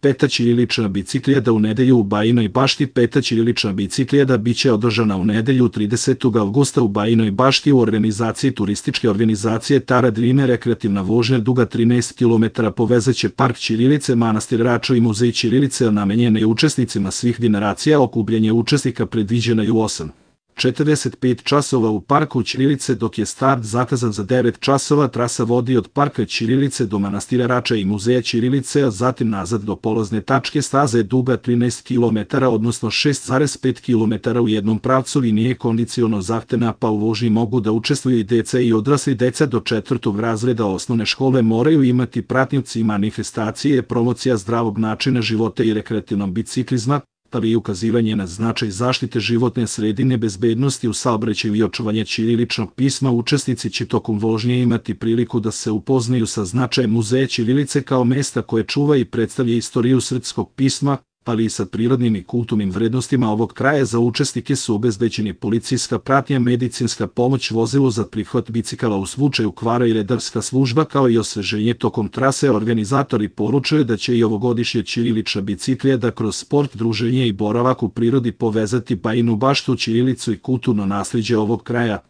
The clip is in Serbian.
Peta ćirilična biciklijada u nedelju u Bajinoj Bašti. Peta ćirilična biciklijada biće održana u nedelju 30. avgusta u Bajinoj Bašti u organizaciji turističke organizacije Tara Drime. Rekreativna vožnja duga 13 km povezaće park ćirilice, manastir Rača i muzej ćirilice, namenjena je učesnicima svih generacija. Okupljanje učesnika predviđeno je u 8:45 časova u parku ćirilice, dok je start zakazan za 9 časova. Trasa vodi od parka ćirilice do manastira Rača i muzeja ćirilice, a zatim nazad do polazne tačke. Staza je duga 13 km, odnosno 6,5 km u jednom pravcu i nije kondiciono zahtevna, pa u vožnji mogu da učestvuju i deca i odrasli. Deca do 4. razreda osnovne škole moraju imati pratnioci. Manifestacije je promocija zdravog načina života i rekreativnog biciklizma, ali i ukazivanje na značaj zaštite životne sredine, bezbednosti u saobraćaju i očuvanje ćiriličnog pisma. Učesnici će tokom vožnje imati priliku da se upoznaju sa značajem muzeja ćirilice kao mesta koje čuva i predstavlja istoriju srpskog pisma, ali i sa prirodnim i kulturnim vrednostima ovog kraja. Za učesnike su obezbeđeni policijska pratnja, medicinska pomoć, vozilo za prihvat bicikala u slučaju kvara i redarska služba, kao i osveženje tokom trase. Organizatori poručuju da će i ovogodišnja ćirilična biciklijada kroz sport, druženje i boravak u prirodi povezati Bajinu Baštu, ćirilicu i kulturno naslijeđe ovog kraja.